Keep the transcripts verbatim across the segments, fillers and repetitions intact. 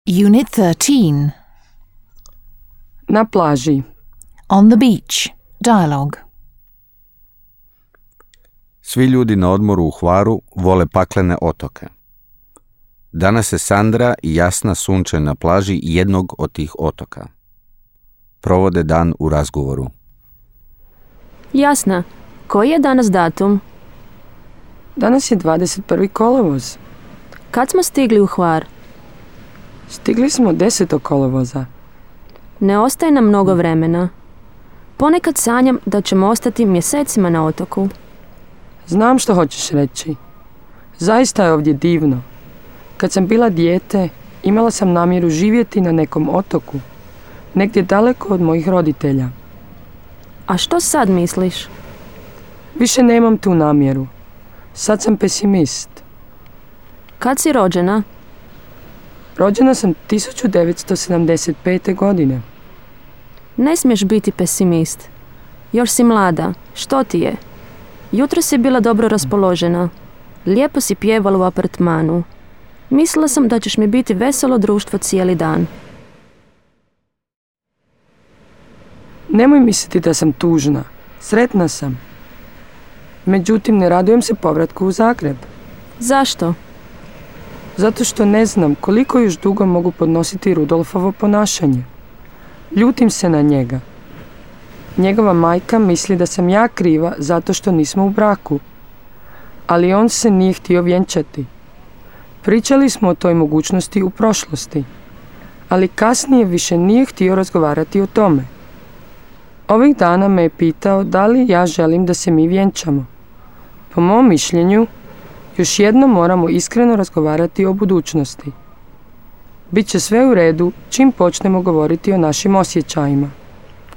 Unit thirteen. Na plaži. On the beach. Dialogue. Svi ljudi na odmoru u Hvaru vole paklene otoke. Danas je Sandra i Jasna sunče na plaži jednog od tih otoka. Provode dan u razgovoru. Jasna, koji je danas datum? Danas je dvadeset prvi kolovoz. Kad smo stigli u Hvar? Stigli smo desetog kolovoza. Ne ostaje nam mnogo vremena. Ponekad sanjam da ćemo ostati mjesecima na otoku. Znam što hoćeš reći. Zaista je ovdje divno. Kad sam bila dijete, imala sam namjeru živjeti na nekom otoku, negdje daleko od mojih roditelja. A što sad misliš? Više nemam tu namjeru. Sad sam pesimist. Kad si rođena? Rođena sam tisuću devetsto sedamdeset pete. godine. Ne smiješ biti pesimist. Još si mlada. Što ti je? Jutro si bila dobro raspoložena. Lijepo si pjevala u apartmanu. Mislila sam da ćeš mi biti veselo društvo cijeli dan. Nemoj misliti da sam tužna. Sretna sam. Međutim, ne radujem se povratku u Zagreb. Zašto? Zato što ne znam koliko još dugo mogu podnositi Rudolfovo ponašanje. Ljutim se na njega. Njegova majka misli da sam ja kriva zato što nismo u braku. Ali on se nije htio vjenčati. Pričali smo o toj mogućnosti u prošlosti. Ali kasnije više nije htio razgovarati o tome. Ovih dana me je pitao da li ja želim da se mi vjenčamo. Po mom mišljenju, još jednom moramo iskreno razgovarati o budućnosti. Biće sve u redu čim počnemo govoriti o našim osjećajima.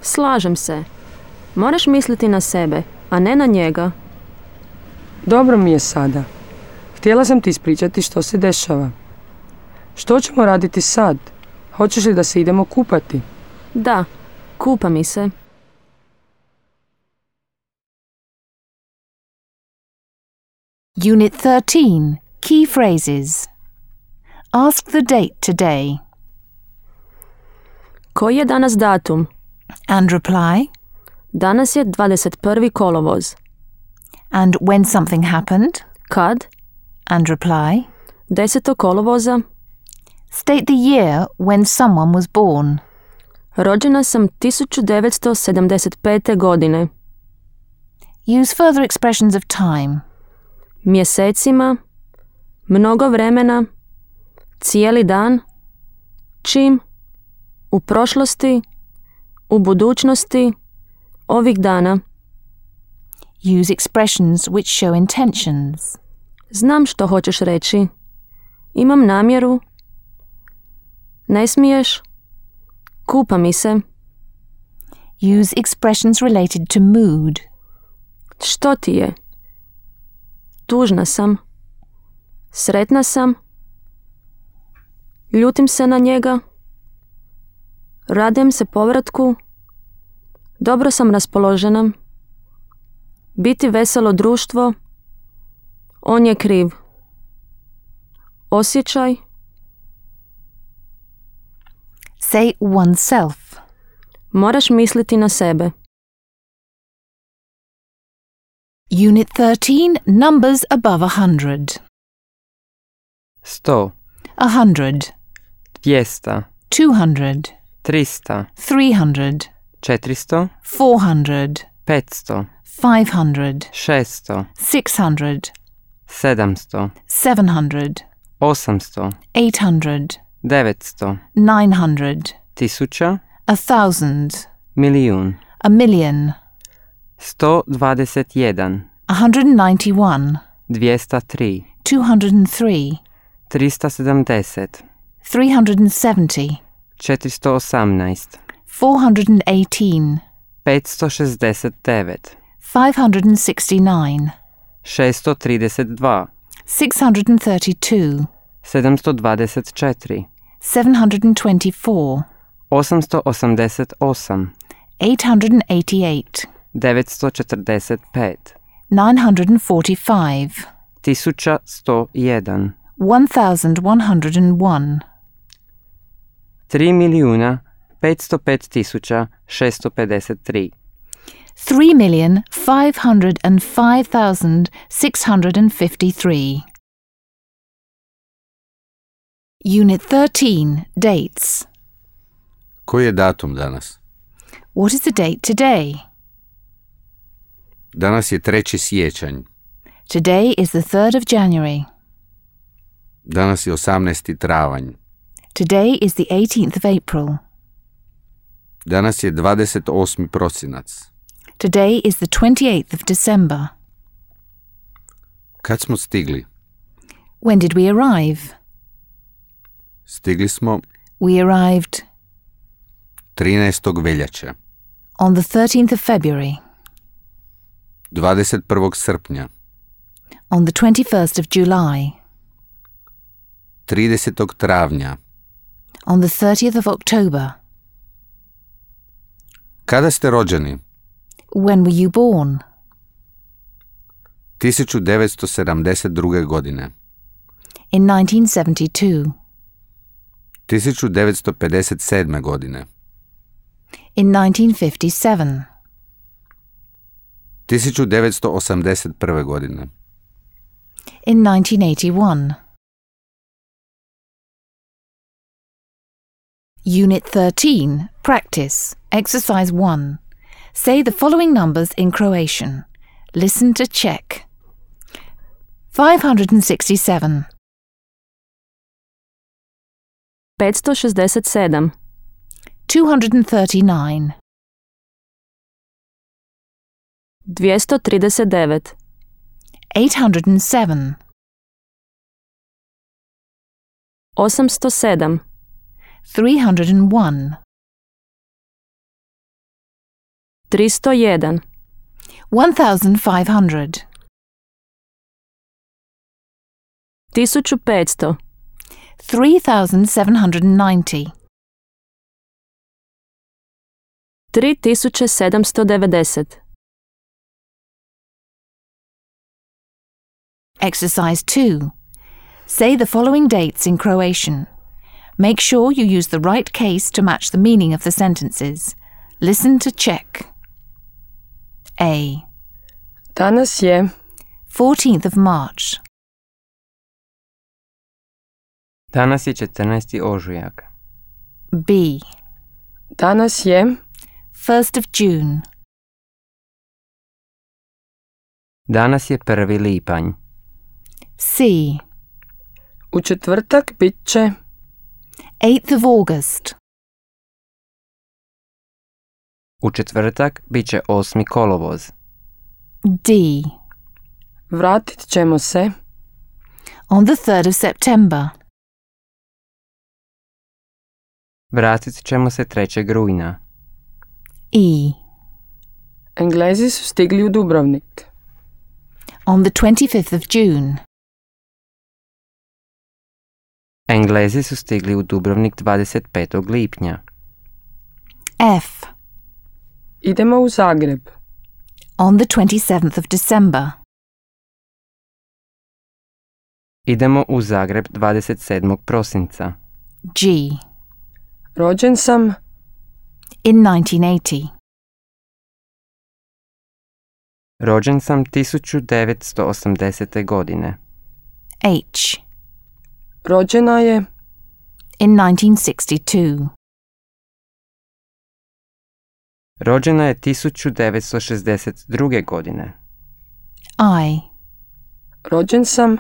Slažem se. Moraš misliti na sebe, a ne na njega. Dobro mi je sada. Htjela sam ti ispričati što se dešava. Što ćemo raditi sad? Hoćeš li da se idemo kupati? Da, kupa mi se. Unit thirteen. Key phrases. Ask the date today. Koji je danas datum? And reply. Danas je dvadeset prvi kolovoz. And when something happened. Kad? And reply. desetog kolovoza. State the year when someone was born. Rođena sam tisuću devetsto sedamdeset pete. godine. Use further expressions of time. Mjesecima, mnogo vremena, cijeli dan, čim, u prošlosti, u budućnosti, ovih dana. Use expressions which show intentions. Znam što hoćeš reći. Imam namjeru. Ne smiješ. Kupa mi se. Use expressions related to mood. Što ti je? Tužna sam. Sretna sam. Ljutim se na njega. Radujem se povratku. Dobro sam raspoložena. Biti veselo društvo. On je kriv. Osjećaj. Say oneself. Moraš misliti na sebe. Unit thirteen. Numbers above a hundred. sto, A hundred. dvjesto, Two hundred. tristo, Three hundred. četiristo, Four hundred. petsto, Five hundred. šesto, Six hundred. sedamsto, Seven hundred. osamsto, Eight hundred. devetsto, Nine hundred. tisuća, A thousand. milijun, A million. sto dvadeset jedan, A hundred and ninety-one. dvjesto tri, Two hundred and three. tristo sedamdeset, Three hundred and seventy. četiristo osamnaest, Four hundred and eighteen. petsto šezdeset devet, Five hundred and sixty-nine. šesto trideset dva, Six hundred and thirty-two. sedamsto dvadeset četiri, Seven hundred and twenty-four. osamsto osamdeset osam, Eight hundred and eighty-eight. devetsto četrdeset pet, Nine hundred and forty-five. tisuća sto jedan, One thousand one hundred and one. tri milijuna petsto pet tisuća šesto pedeset tri. three million five hundred five thousand six hundred fifty-three. Unit thirteen, dates. Koji je datum danas? What is the date today? Danas je treći siječanj. Today is the third of January. Danas je osamnaesti travanj. Today is the eighteenth of April. Danas je dvadeset osmi prosinac. Today is the twenty-eighth of December. Kad smo stigli? When did we arrive? Stigli smo We arrived trinaestog veljače, on the thirteenth of February, dvadeset prvog srpnja, on the twenty-first of July, tridesetog travnja. on the thirtieth of October. Kada ste rođeni? When were you born? tisuću devetsto sedamdeset druge. godine. In nineteen seventy-two. tisuću devetsto pedeset sedme. godine. In nineteen fifty-seven. tisuću devetsto osamdeset prve. godine. In nineteen eighty-one. Unit thirteen, practice, exercise one. Say the following numbers in Croatian. Listen to check. five hundred sixty-seven, petsto šezdeset sedam, two hundred thirty-nine, dvjesto trideset devet, eight hundred seven, osamsto sedam, three hundred one, tristo jedan, one thousand five hundred, tisuću petsto, three thousand seven hundred ninety, tri tisuće sedamsto devedeset. Exercise two. Say the following dates in Croatian. Make sure you use the right case to match the meaning of the sentences. Listen to check. A. Danas je fourteenth of March. Danas je četrnaesti ožujak. B. Danas je first of June. Danas je prvi lipanj. C. u četvrtak bit će eighth of August. U četvrtak bit će osmi kolovoz. D. vratit ćemo se On the third of September. Vratit ćemo se trećeg rujna. E. Englezi su stigli u Dubrovnik. On the twenty-fifth of June. Englezi su stigli u Dubrovnik dvadeset petog lipnja. F. Idemo u Zagreb. On the twenty-seventh of December. Idemo u Zagreb dvadeset sedmog prosinca. G. Rođen sam In nineteen eighty. Rođen sam tisuću devetsto osamdesete. godine. H. rođena je In nineteen sixty-two. Rođena je tisuću devetsto šezdeset druge. godine. I. rođen sam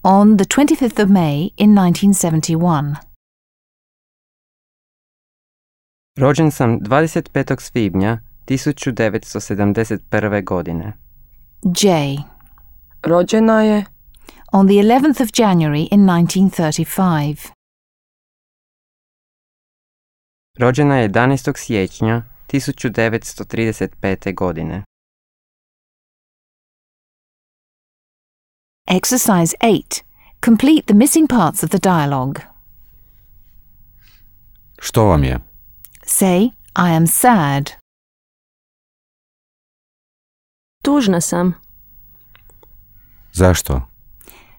On the twenty-fifth of May in nineteen seventy-one. Rođen sam dvadeset petog svibnja tisuću devetsto sedamdeset prve. godine. J. rođena je On the eleventh of January in nineteen thirty-five. Rođena je jedanaestog siječnja tisuću devetsto trideset pete. godine. Exercise eight. Complete the missing parts of the dialogue. Što vam je? Say, I am sad. Tužna sam. Zašto?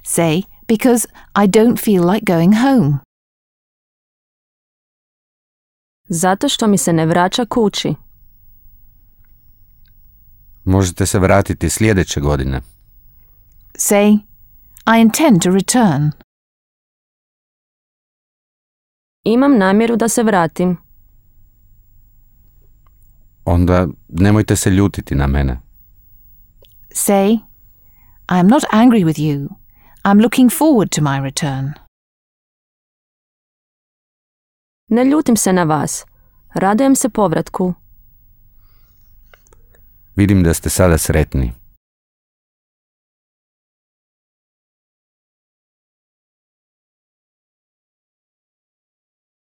Say, because I don't feel like going home. Zato što mi se ne vraća kući. Možete se vratiti sljedeće godine. Say, I intend to return. Imam namjeru da se vratim. Onda nemojte se ljutiti na mene. Say, I am not angry with you. I'm looking forward to my return. Ne ljutim se na vas. Radujem se povratku. Vidim da ste sada sretni.